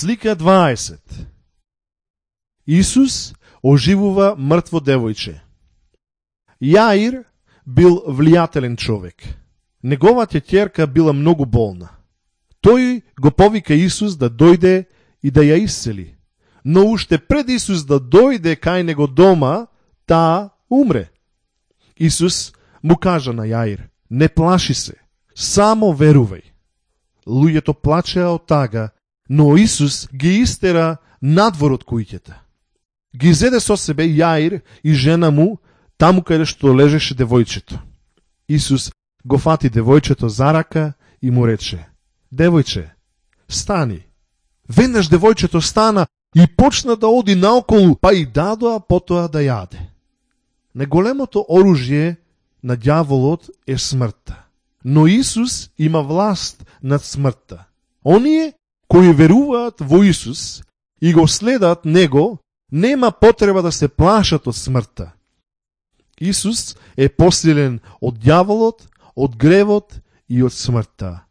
Слика 20. Исус оживува мртво девојче. Јаир бил влијателен човек. Неговата ќерка била многу болна. Тој го повика Исус да дојде и да ја исцели. Но уште пред Исус да дојде кај него дома, таа умре. Исус му кажа на Јаир: не плаши се, само верувај. Луѓето плачеа од тага, но Исус ги истера надвор од куќата. Ги зеде со себе Јаир и жена му таму каде што лежеше девојчето. Исус го фати девојчето за рака и му рече: девојче, стани. Веднаш девојчето стана и почна да оди наоколу, па и дадоа потоа да јаде. Најголемото оружје на ѓаволот е смртта. Но Исус има власт над смртта. Оние кои веруваат во Исус и го следат Него, нема потреба да се плашат од смртта. Исус е посилен од ѓаволот, од гревот и од смртта.